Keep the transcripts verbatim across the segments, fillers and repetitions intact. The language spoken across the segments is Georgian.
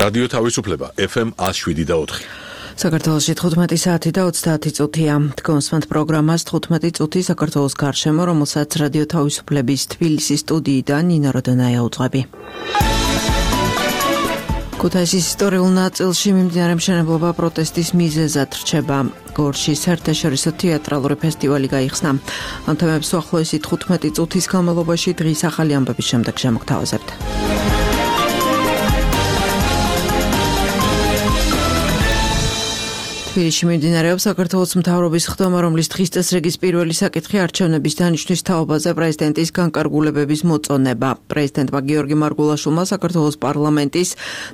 რადიო თავისუფლება ეფ ემ one oh seven და four. საქართველოში თხუთმეტი საათი და ოცდაათი წუთია. Თქვენსმენთ პროგრამას თხუთმეტი წუთი საქართველოს გარშემო, რომელსაც რადიო თავისუფლების თბილისის სტუდიიდან ნინო როდონაია უძღვები. ქუთაისის ისტორიულ ნაწილში მიმდინარე მშენებლობა პროტესტის მიზეზად რჩება. გორში საერთაშორისო თეატრალური ფესტივალი გაიხსნა. ამ თემებს უახლოესი თხუთმეტი წუთის განმავლობაში დღის ახალი ამბების შემდეგ შემოგთავაზებთ. თბილისში მიმდინარეობს საქართველოს მთავრობის ხდომა, რომლის დღის წესრიგის პირველი საკითხი არჩევნების დანიშვნის თაობაზე პრეზიდენტის განკარგულებების მოწონება. პრეზიდენტმა გიორგი მარგულაშვილმა საქართველოს პარლამენტის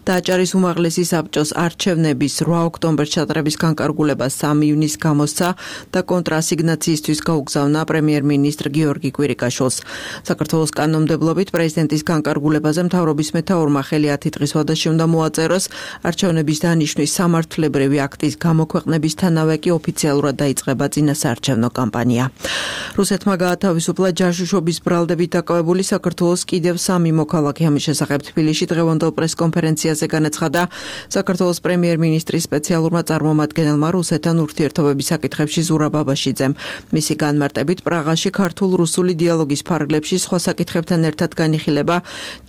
დააჭარის უმაღლესი საბჭოს არჩევნების რვა ოქტომბერს ჩატარების განკარგულება სამი ივნისს გამოსცა და კონტრასიგნაციისთვის გაუგზავნა პრემიერ-მინისტრ გიორგი კვირიკაშვილს. საქართველოს კანონმდებლობით პრეზიდენტის განკარგულებაზე მთავრობის მეთაურმა ხელი ათი დღის ვადაში უნდა მოაწეროს. არჩევნების დანიშვნის სამართლებრივი აქტის გამო ქვეყნებისთანავე კი ოფიციალურად დაიწყება წინასაარჩევნო კამპანია. რუსეთმა გაათავისუფლა ჯაშუშობის ბრალდებით დაკავებული საქართველოს კიდევ სამი მოქალაქე. ამის შესახებ თბილისში დღევანდელ პრესკონფერენციაზე განაცხადა საქართველოს პრემიერ-მინისტრის სპეციალურმა წარმომადგენელმა რუსეთთან ურთიერთობების საკითხებში ზურაბ აბაშიძემ. მისი განმარტებით პრაღაში ქართულ-რუსული დიალოგის ფარგლებში სხვა საკითხებთან ერთად განიხილება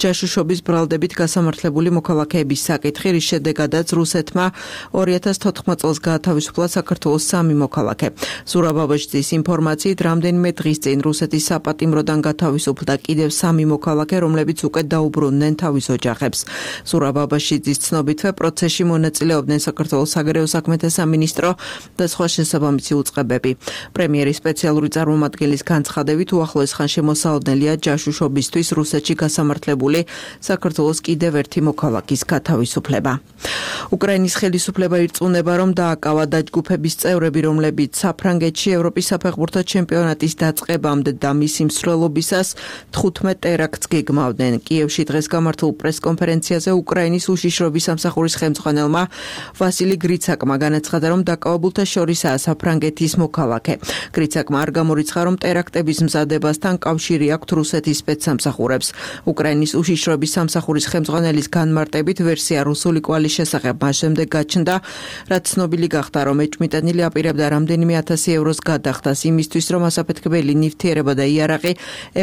ჯაშუშობის ბრალდებით გასამართლებული მოქალაქეების საკითხი, რის შედეგადაც რუსეთმა ორი ათას თოთხმეტ წელს გაათავისუფლა საქართველოს სამი მოქალაქე. ზურაბ აბაშიძის ინფორმაციით, რამდენიმე დღის წინ რუსეთის საპატიმროდან გათავისუფლდა კიდევ სამი მოქალაქე, რომლებიც უკვე დაუბრუნდნენ თავის ოჯახებს. ზურაბ აბაშიძის ცნობითვე პროცესში მონაწილეობდნენ საქართველოს საგარეო საქმეთა სამინისტრო და სხვა შესაბამისი უწყებები. პრემიერის სპეციალური წარმომადგენლის განცხადებით, უახლოეს ხანში მოსალოდნელია ჯაშუშობისთვის რუსეთში გასამართლებული საქართველოს კიდევ ერთი მოქალაქის გათავისუფლება. უკრაინის ხელისუფლება ირწმუნება, რომ დააკავა დაჯგუფების წევრები, რომლებიც საფრანგეთში ევროპის საფეხბურთო ჩემპიონატის დაწყებამდე და მისი მსვლელობისას თხუთმეტ ტერაქტს გეგმავდნენ. კიევში დღეს გამართულ პრესკონფერენციაზე უკრაინის უშიშროების სამსახურის ხელმძღვანელმა ვასილი გრიცაკმა განაცხადა, რომ დაკავებულთა შორისაა საფრანგეთის მოქალაქე. გრიცაკმა არ გამორიცხა, რომ ტერაქტების მზადებასთან კავშირი აქვთ რუსეთის სპეცსამსახურებს. უკრაინის უშიშროების სამსახურის ხელმძღვანელის განმარტებით ვერსია რუსული კვალის შესახებ მას შემდეგ გაჩნდა, რაც ცნობილი გახდა, რომ ეჭვმიტანილი აპირებდა რამდენიმე ათასი ევროს გადახდას იმისთვის, რომ ასაფეთქებელი ნივთიერება და იარაღი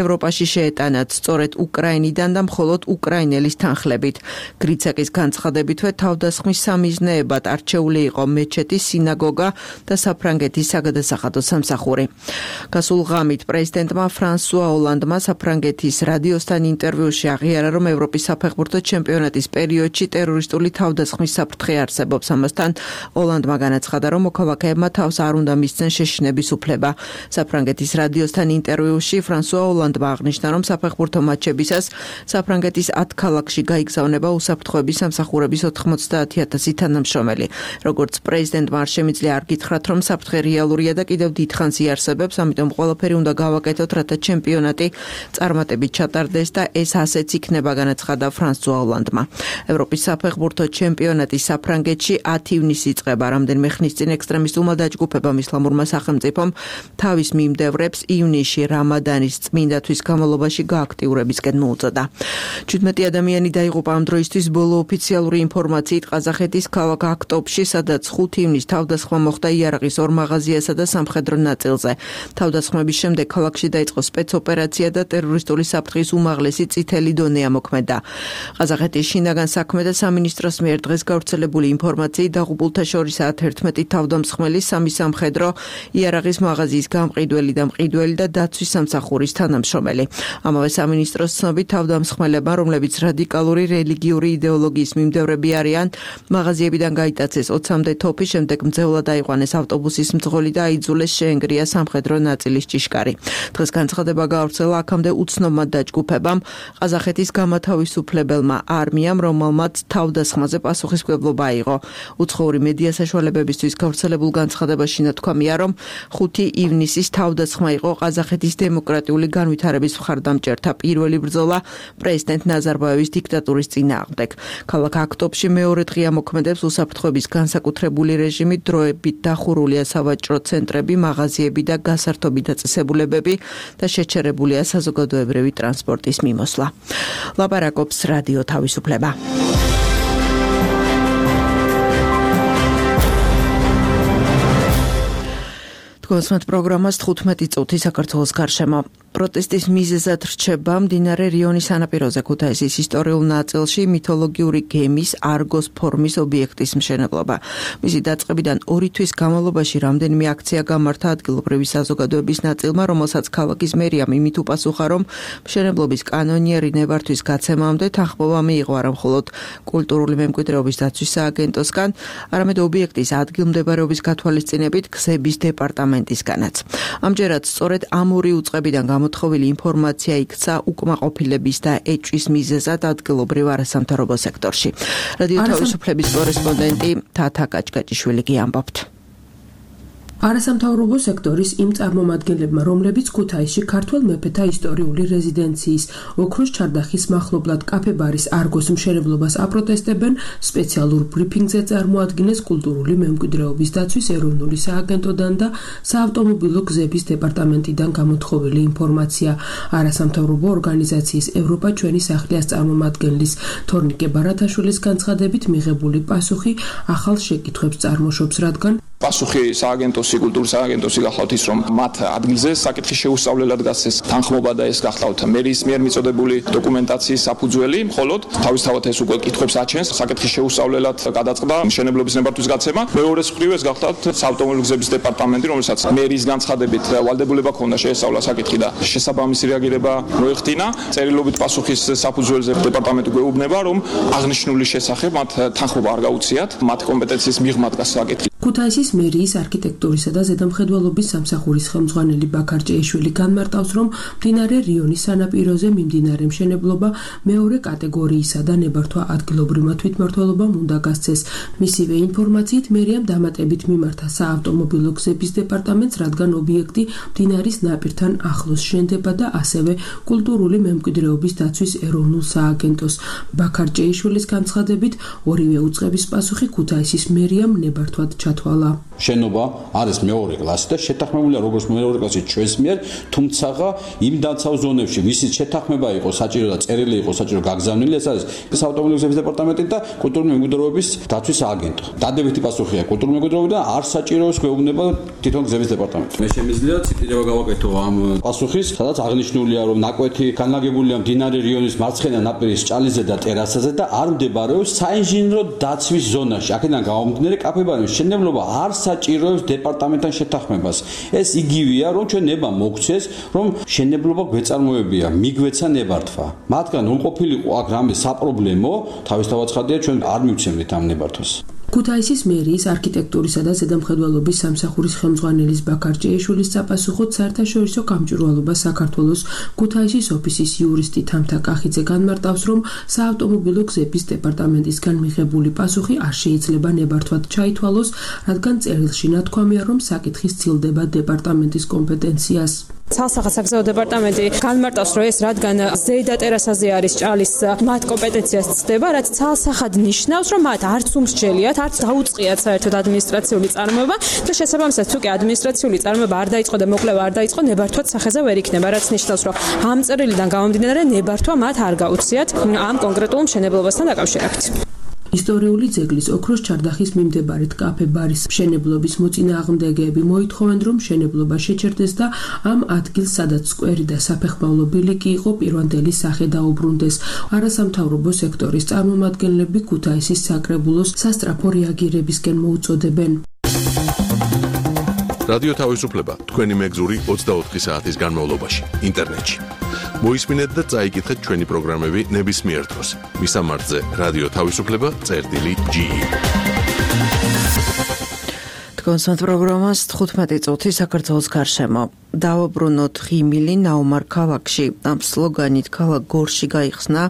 ევროპაში შეეტანათ, სწორედ უკრაინიდან და მხოლოდ უკრაინელის თანხლებით. გრიცაკის განცხადებითვე თავდასხმის სამიზნეებად არჩეული იყო მეჩეთი, სინაგოგა და საფრანგეთის საგადასახადო სამსახური. გასულ ღამით პრეზიდენტმა ფრანსუა ოლანდმა საფრანგეთის რადიოსთან ინტერვიუში აღიარა, რომ ევროპის საფეხბურთო ჩემპიონატის პერიოდში ტერორისტული თავდასხმის საფრთხე არსებობს. ამასთან ოლანდმა განაცხადა, რომ მოქალაქეებმა თავს არ უნდა მისცენ შეშინების უფლება. საფრანგეთის რადიოსთან ინტერვიუში ფრანსუა ოლანდმა აღნიშნა, რომ საფეხბურთო მატჩებისას საფრანგეთის ათ ქალაქში გაიგზავნება უსაფრთხოების სამსახურების ოთხმოცდაათი ათასი თანამშრომელი. როგორც პრეზიდენტმა არ შემიძლია არ გითხრათ, რომ საფრთხე რეალურია და კიდევ დიდხანს იარსებებს, ამიტომ ყველაფერი უნდა გავაკეთოთ, რათა ჩემპიონატი წარმატებით ჩატარდეს და ეს ასეც იქნება, განაცხადა ფრანსუა ოლანდმა. ევროპის საფეხბურთო ჩემპიონატი საფრანგეთში ათი ივნისს იწყება. რამდენიმე ხნის წინ ექსტრემისტულმა დაჯგუფებამ ისლამურმა სახელმწიფომ თავის მიმდევრებს ივნისში რამადანის წმინდათვის განმავლობაში გააქტიურებისკენ მოუწოდა. შვიდმეტი ადამიანი დაიღუპა ამ დროისთვის ბოლო ოფიციალური ინფორმაციით ყაზახეთის ქალაქ აქტობში, სადაც ხუთი ივნისს თავდასხმა მოხდა იარაღის ორ მაღაზიასა და სამხედრო ნაწილზე. თავდასხმების შემდეგ ქალაქში დაიწყო სპეცოპერაცია და ტერორისტული საფრთხის უმაღლესი წითელი დონე ამოქმედა. ყაზახეთის შინაგან საქმეთა სამინისტროს მიერ დღეს გავრცელებული ინფორმაციით დაღუპულთა შორისაა თერთმეტი თავდამსხმელი, სამი სამხედრო, იარაღის მაღაზიის გამყიდველი და მყიდველი და დაცვის სამსახურის თანამშრომელი. ამავე სამინისტროს ცნობით თავდამსხმელებმა, რომლებიც რადიკალური რელიგიური იდეოლოგიის მიმდევრები არიან, მაღაზიებიდან გაიტაცეს ოცამდე თოფი, შემდეგ მძევლად აიყვანეს ავტობუსის მძღოლი და აიძულეს შეენგრია სამხედრო ნაწილის ჭიშკარი. დღეს განცხადება გაავრცელა აქამდე უცნობმა დაჯგუფებამ, ყაზახეთის გამათავისუფლებელმა არმიამ, რომელმაც თავდასხმაზე პასუხისმგებლობა აიღო. უცხოური მედია საშუალებებისთვის გავრცელებულ განცხადებაში ნათქვამია, რომ ხუთი ივნისის თავდასხმა იყო ყაზახეთის დემოკრატიული განვითარების მხარდამჭერთა პირველი ბრძოლა პრეზიდენტ ნაზარბაევის დიქტატურის წინააღმდეგ. ქალაქ აქტობში მეორე დღე მოქმედებს უსაფრთხოების განსაკუთრებული რეჟიმი, დროებით დახურულია სავაჭრო ცენტრები, მაღაზიები და გასართობი დაწესებულებები და შეჩერებულია საზოგადოებრივი ტრანსპორტის მიმოსვლა. ლაპარაკობს რადიო თავისუფლება. თქვენს პროგრამას თხუთმეტი წუთი საქართველოს გარშემო. პროტესტის მიზეზად რჩება მდინარე რიონის სანაპიროზე ქუთაისის ისტორიულ ნაწილში მითოლოგიური გემის არგოს ფორმის ობიექტის მშენებლობა. მისი დაწყებიდან ორი თვის განმავლობაში რამდენიმე აქცია გამართა ადგილობრივი საზოგადოების ნაწილმა, რომელსაც ქალაქის მერიამ იმით უპასუხა, რომ მშენებლობის კანონიერი ნებართვის გაცემამდე თანხმობა მიიღო არა მხოლოდ კულტურული მემკვიდრეობის დაცვის სააგენტოსგან, არამედ ობიექტის ადგილმდებარეობის გათვალისწინებით გზების დეპარტამენტისგანაც. ამჯერად სწორედ ამ ორი უწყებიდან მოთხოვილი ინფორმაცია იქცა უკმაყოფილების და ეჭვის მიზეზად ადგილობრივ არასამთავრობო სექტორში. რადიო თავისუფლების კორესპონდენტი თათა კაჭკაჭიშვილი ამბობთ. არასამთავრობო სექტორის იმ წარმომადგენლებმა, რომლებიც ქუთაისში ქართველ მეფეთა ისტორიული რეზიდენციის ოქროს ჩარდახის მახლობლად კაფე-ბარის არგოს მშენებლობას აპროტესტებენ, სპეციალურ ბრიფინგზე წარმოადგინეს კულტურული მემკვიდრეობის დაცვის ეროვნული სააგენტოდან და საავტომობილო გზების დეპარტამენტიდან გამოთხოვილი ინფორმაცია. არასამთავრობო ორგანიზაციის ევროპა ჩვენი სახლის წარმომადგენლის თორნიკე ბარათაშვილის განცხადებით მიღებული პასუხი ახალ შეკითხვებს წარმოშობს, რადგან პასუხი სააგენტოსი, კულტურის სააგენტოსი გახლავთ ის, რომ მათ ადგილზე საკითხის შეუსწავლელად გასცეს თანხმობა და ეს გახლავთ მერის მიერ მიწოდებული დოკუმენტაციის საფუძველი, მხოლოდ თავისთავად ეს უკვე კითხვებს აჩენს საკითხის შეუსწავლელად გადაწყდა მშენებლობის ნებართვის გაცემა. მეორეს მხრივ ეს გახლავთ საავტომობილო გზების დეპარტამენტი, რომელსაც მერის განცხადებით ვალდებულება ჰქონდა შეესწავლა საკითხი და შესაბამისი რეაგირება მოეხდინა. წერილობით პასუხის საფუძველზე დეპარტამენტი გვეუბნება, რომ აღნიშნული შესახებ მათ თანხმობა არ გაუციათ, მათ კომპეტენციის მიღმა დგას საკითხი. ქუთაისის მერიის არქიტექტურისა და ზედამხედველობის სამსახურის ხელმძღვანელი ბაქარ ჭეიშვილი განმარტავს, რომ მდინარე რიონის სანაპიროზე მიმდინარე მშენებლობა მეორე კატეგორიისა და ნებართვა ადგილობრივმა თვითმმართველობამ უნდა გასცეს. მისივე ინფორმაციით მერიამ დამატებით მიმართა საავტომობილო გზების დეპარტამენტს, რადგან ობიექტი მდინარის ნაპირთან ახლოს შენდება და ასევე კულტურული მემკვიდრეობის დაცვის ეროვნულ სააგენტოს. ბაქარ ჭეიშვილის განცხადებით, ორივე უწყების პასუხი ქუთაისის მერიამ ნებართვად ჩათვალა. შენობა არის მეორე კლასი და შეთანხმებულია როგორც მეორე კლასი ჩვენს მიერ, თუმცა იმ დაცავ ზონებში ვისიც შეთანხმება იყო საჭირო და წერილი იყო საჭირო გაგზავნილი, ეს არის საავტომობილო გზების დეპარტამენტი და კულტურული მემკვიდრეობის დაცვის სააგენტო. დადებითი პასუხია კულტურული მემკვიდრეობიდან არ საჭიროებს გვეუბნება თვითონ გზების დეპარტამენტი. მე შემიძლია ციტირება გავაკეთო ამ პასუხის, სადაც აღნიშნულია, რომ ნაკვეთი განლაგებულია მდინარე რიონის მარცხენა ნაპირის ჭალიზე და ტერასაზე და არ მდებარეობს საინჟინრო დაცვის ზონაში. აქედან გამომდინარე კაფე-ბარის მშენებლობა არ საჭიროებს დეპარტამენტთან შეთანხმებას. ეს იგივეა, რომ ჩვენ ნება მოგცეს, რომ მშენებლობა გვეწარმოებია, მიგვეცა ნებართვა. მათგან რომ ყოფილიყო აქ რამე საპრობლემო, თავისთავად ცხადია, ჩვენ არ მივცემდით ამ ნებართვას. ქუთაისის მერიის არქიტექტურისა და ზედამხედველობის სამსახურის ხელმძღვანელის ბაქარ ჭეიშვილის საპასუხოდ საერთაშორისო გამჭვირვალობა საქართველოს ქუთაისის ოფისის იურისტი თამთა კახიძე განმარტავს, რომ საავტომობილო გზების დეპარტამენტისგან მიღებული პასუხი არ შეიძლება ნებართვად ჩაითვალოს, რადგან წერილში ნათქვამია, რომ საკითხი სცილდება დეპარტამენტის კომპეტენციას. ცალსახა-საგზაო დეპარტამენტი განმარტავს, რომ ეს რადგან ზედა ტერასაზე არის ჭალის მათ კომპეტენციას ცდება, რაც ცალსახად ნიშნავს, რომ მათ არც უმსჯელიათ, არც დაუწყიათ საერთოდ ადმინისტრაციული წარმოება და შესაბამისად თუ კი ადმინისტრაციული წარმოება არ დაიწყო და მოკვლევა არ დაიწყო, ნებართვაც სახეზე ვერ იქნება, რაც ნიშნავს, რომ ამ წერილიდან გამომდინარე ნებართვა მათ არ გაუციათ ამ კონკრეტულ მშენებლობასთან დაკავშირებით. ისტორიული ძეგლის ოქროს ჩარდახის მიმდებარედ კაფე-ბარის მშენებლობის მოწინააღმდეგეები მოითხოვენ, რომ მშენებლობა შეჩერდეს და ამ ადგილს, სადაც სკვერი და საფეხმავლო ბილიკი იყო, პირვანდელი სახე დაუბრუნდეს. არასამთავრობო სექტორის წარმომადგენლები ქუთაისის საკრებულოს სასწრაფო რეაგირებისკენ მოუწოდებენ. რადიო თავისუფლება თქვენი მეგზური ოცდაოთხი საათის განმავლობაში ინტერნეტში. მოისმინეთ და წაიკითხეთ ჩვენი პროგრამები ნებისმიერ დროს. მისამართზე რადიო თავისუფლება წერტილი ჯი ი. თქვენს პროგრამას თხუთმეტი წუთი საქართველოს გარშემო. დავაბრუნოთ ღიმილი ნაუმარ ქალაქში. ამ სლოგანით ქალაქ გორში გაიხსნა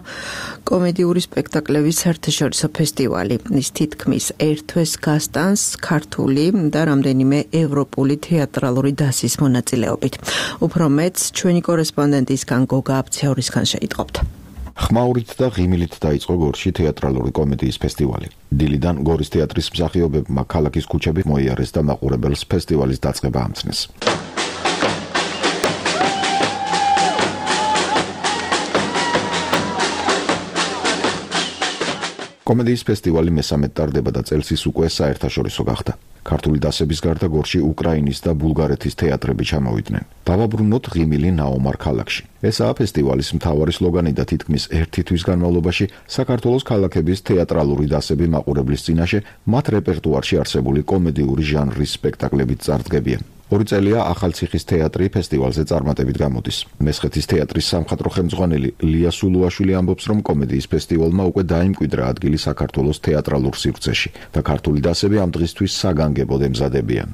კომედიური სპექტაკლების საერთაშორისო ფესტივალი. ის თითქმის ერთვეს გასტანს ქართული და რამდენიმე ევროპული თეატრალური დასის მონაწილეობით. უფრო მეც ჩვენი კორესპონდენტისგან გოგა აბციაურისგან შეიტყობთ. ხმაურით და ღიმილით დაიწყო გორში თეატრალური კომედიის ფესტივალი. დილიდან გორის თეატრის მსახიობებმა ქალაქის ქუჩებით მოიარეს და მაყურებელს ფესტივალის დაწყება ამცნეს. კომედიის ფესტივალი მესამედ ტარდება და წელს უკვე საერთაშორისო გახდა. ქართული დასების გარდა გორში უკრაინის და ბულგარეთის თეატრები ჩამოვიდნენ. დავაბრუნოთ ღიმილი ნაომარ ქალაქში. ესაა ფესტივალის მთავარი სლოგანი და თითქმის ერთი თვის განმავლობაში საქართველოს ქალაქების თეატრალური დასები მაყურებლის წინაშე მათ რეპერტუარში არსებული კომედიური ჟანრის სპექტაკლებიც წარდგებიან. ორი წელია ახალციხის თეატრი ფესტივალზე წარმატებით გამოდის. მესხეთის თეატრის სამხატვრო ხელმძღვანელი ლია სულუაშვილი ამბობს, რომ კომედიის ფესტივალმა უკვე დაიმკვიდრა ადგილი საქართველოს თეატრალურ სივრცეში და ქართული დასები ამ დღისთვის საგანგებოდ ემზადებიან.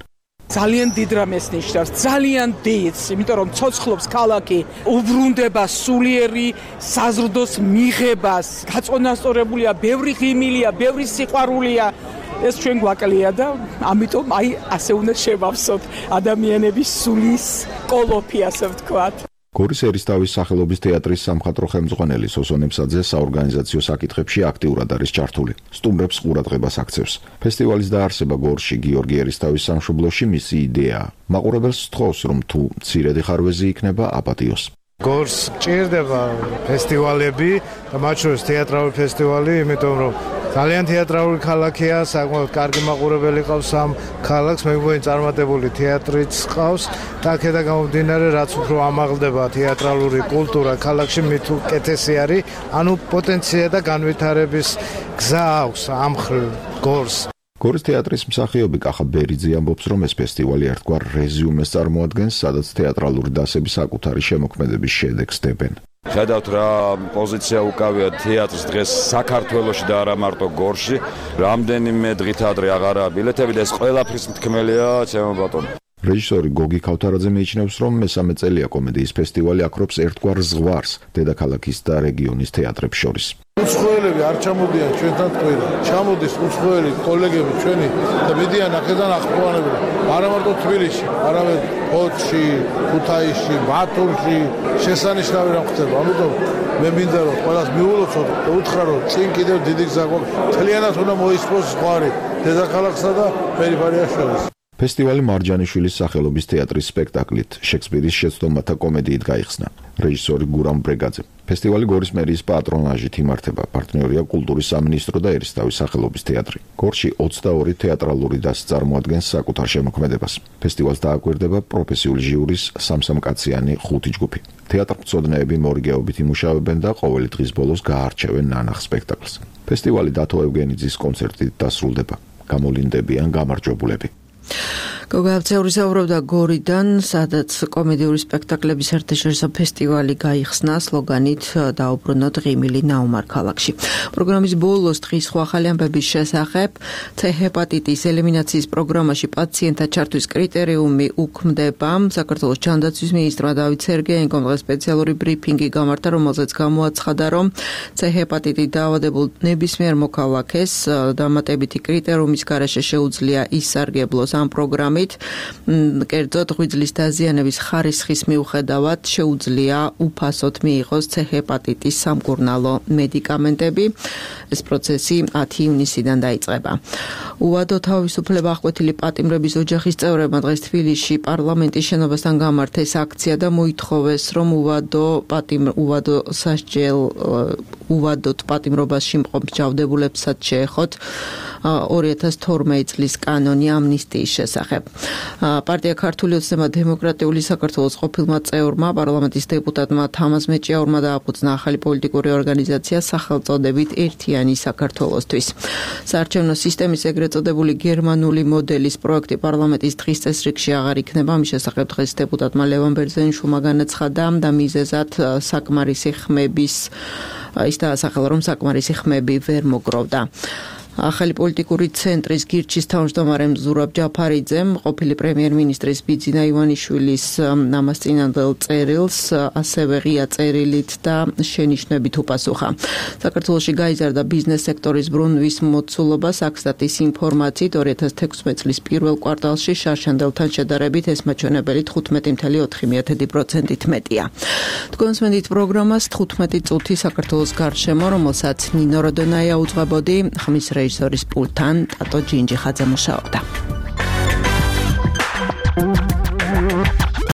ძალიან დიდ რამეს ნიშნავს, ძალიან დიდს, იმიტომ რომ ცოცხლობს ქალაქი, უბრუნდება სულიერი საზრდოს მიღებას, გაწონასწორებულია, ბევრი ღიმილია, ბევრი სიყვარულია. ეს ჩვენ გვაკლია და ამიტომ აი ასე უნდა შევავსოთ ადამიანების სულის კოლოფი, ასე ვთქვათ. გორის ერისთავის სახელობის თეატრის სამხატვრო ხელმძღვანელი სოსო ნემსაძე საორგანიზაციო საკითხებში აქტიურად არის ჩართული. სტუმრებს ყურადღებას აქცევს. ფესტივალის დაარსება გორში გიორგი ერისთავის სამშობლოში მისი იდეაა. მაყურებელს სთხოვს, რომ თუ მცირედი ხარვეზი იქნება, აპატიოს. გორს ჭირდება ფესტივალები და მათ შორის თეატრალური ფესტივალი, იმიტომ რომ ძალიან თეატრალური ქალაქია, საკმაოდ კარგი მაყურებელი ყავს ამ ქალაქს, მეგობრებთან წარმატებული თეატრიც ყავს და აქედან გამომდინარე, რაც უფრო ამაღლდება თეატრალური კულტურა ქალაქში, მით უკეთესი არის, ანუ პოტენცია და განვითარების გზა აქვს ამ მხრივ გორს. გორის თეატრის მსახიობი კახა ბერიძე ამბობს, რომ ეს ფესტივალი ერთგვარ რეზიუმეს წარმოადგენს, სადაც თეატრალური დასები საკუთარი შემოქმედების შედეგს დებენ. ხედავთ რა პოზიცია უკავია თეატრს დღეს საქართველოში და არა მარტო გორში. რამდენიმე დღით ადრე აღარაა ბილეთები და ეს ყველაფრის მთქმელია ჩემო ბატონო. რეჟისორი გოგი ქავთარაძე მიიჩნევს, რომ მესამე წელია კომედიის ფესტივალი აქრობს ერთგვარ ზღვარს დედაქალაქის და რეგიონის თეატრებს შორის. უცხოელები არ ჩამოდიან ჩვენთან ტყვია. ჩამოდის უცხოელი კოლეგები ჩვენი და მიდიან აქედან ახმოვანებენ. არა მარტო თბილისში, არამედ ფოთში, ქუთაისში, ბათუმში შესანიშნავი რამ ხდება. ამიტომ მე მინდა რომ ყველას მიულოცოთ და უთხრა რომ წინ კიდევ დიდი გზა გვაქვს. მთლიანად უნდა მოისპოს ზღვარი დედაქალაქსა და პერიფერიას შორის. ფესტივალი მარჯანიშვილის სახელობის თეატრის სპექტაკლით შექსპირის შეცდომათა კომედიით გაიხსნა. რეჟისორი გურამ ბრეგაძე. ფესტივალი გორის მერიის პატრონაჟით იმართება. პარტნიორია კულტურის სამინისტრო და ერისთავის სახელობის თეატრი. გორში ოცდაორი თეატრალური დასი წარმოადგენს საკუთარ შემოქმედებას. ფესტივალს დააკვირდება პროფესიული ჟიურის სამსამკაციანი ხუთი ჯგუფი. თეატრმცოდნეები მორიგეობით იმუშავებენ და ყოველი დღის ბოლოს გაარჩევენ ნანახ სპექტაკლს. ფესტივალი დათო ევგენიძის კონცერტით დასრულდება. გამოლინდებიან გამარჯვებულები. გოგავცეული საუბრობდა გორიდან, სადაც კომედიური სპექტაკლების საერთაშორისო ფესტივალი გაიხსნა სლოგანით დაუბრუნოთ ღიმილი ნაომარ ქალაქში. პროგრამის ბოლოს დღის სხვა ახალი ამბების შესახებ C ჰეპატიტის ელიმინაციის პროგრამაში პაციენტთა ჩართვის კრიტერიუმი უქმდება. საქართველოს ჯანდაცვის მინისტრმა დავით სერგეენკომ დღეს სპეციალური ბრიფინგი გამართა, რომელზეც გამოაცხადა, რომ C ჰეპატიტით დაავადებულ ნებისმიერ მოქალაქეს დამატებითი კრიტერიუმის გარეშე შეუძლია ისარგებლოს ამ პროგრამით. კერძოდ ღვიძლის დაზიანების ხარისხის მიუხედავად შეუძლია უფასოდ მიიღოს C ჰეპატიტის სამკურნალო მედიკამენტები. ეს პროცესი ათი ივნისიდან დაიწყება. უვადო თავისუფლება აღკვეთილი პატიმრების ოჯახის წევრებმა დღეს თბილისში პარლამენტის შენობასთან გამართეს აქცია და მოითხოვეს, რომ უვადო პატიმ უვადო სასჯელ უვადოთ პატიმრობაში მყოფ ჯავდებულებსაც შეეხოთ ორი ათას თორმეტი წლის კანონი ამნისტიის შესახებ. პარტია ქართული ოცნება დემოკრატიული საქართველოს ყოფილმა წევრმა პარლამენტის დეპუტატმა თამაზ მეჭიაურმა დააფუძნა ახალი პოლიტიკური ორგანიზაცია სახელწოდებით ერთიანი საქართველოსთვის. საარჩევნო სისტემის ეგრეთ წოდებული გერმანული მოდელის პროექტი პარლამენტის დღის წესრიგში აღარ იქნება. მის შესახებ დღეს დეპუტატმა ლევან ბერძენიშვილმა განაცხადა და მიზეზად საკმარისი ხმების ის დაასახელა, რომ საკმარისი ხმები ვერ მოგროვდა. ახალი პოლიტიკური ცენტრის გირჩის თავმჯდომარემ ზურაბ ჯაფარიძემ ყოფილი პრემიერ-მინისტრის ბიძინა ივანიშვილის ამას წინანდელ წერილს ასევე ღია წერილით და შენიშვნებით უპასუხა. საქართველოში გაიზარდა ბიზნეს სექტორის ბრუნვის მოცულობა. საქსტატის ინფორმაციით ორი ათას თექვსმეტი წლის პირველ კვარტალში შარშანდელთან შედარებით ეს მაჩვენებელი თხუთმეტი წუთი ოთხი პროცენტით მეტია. თქვენსმენით პროგრამას თხუთმეტი წუთი საქართველოს გარშემო, რომელსაც ნინო როდონაია უძღვებოდი, ხმის რეჟისორის პულტთან ტატო ჯინჯიხაძე მუშაობდა.